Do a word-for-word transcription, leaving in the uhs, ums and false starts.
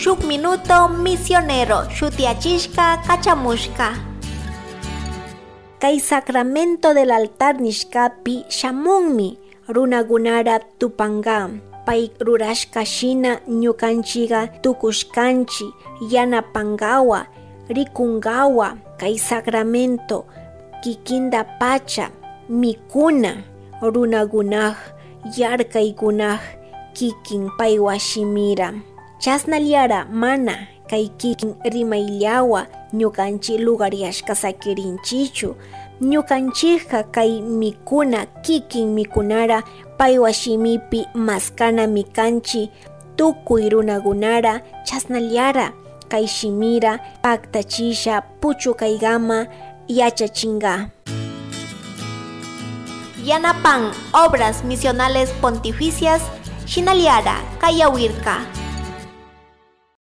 Shuk Minuto Misionero shutiachishka kachamushka. Kay sacramento del altar nishkapi shamunmi runakunara tupanga. Pay rurashka shina ñukanchiga tukushkanchi yanapangawa rikungawa kay sacramento kikinda pacha mikuna runakunaj yarkaykunaj kikin paywa shimira. Chasnallara mana kay kikin rimayllawa ñukanchik lugaryashka sakirinchichu. Ñukanchikka kay mikuna kikin mikunara paywa shimipi maskana mikanchi tukuy runakunara chasnallara kay shimira paktachisha puchukaygama yachachinga. Yanapan Obras Misionales Pontificias Shinaliara Kayawirka.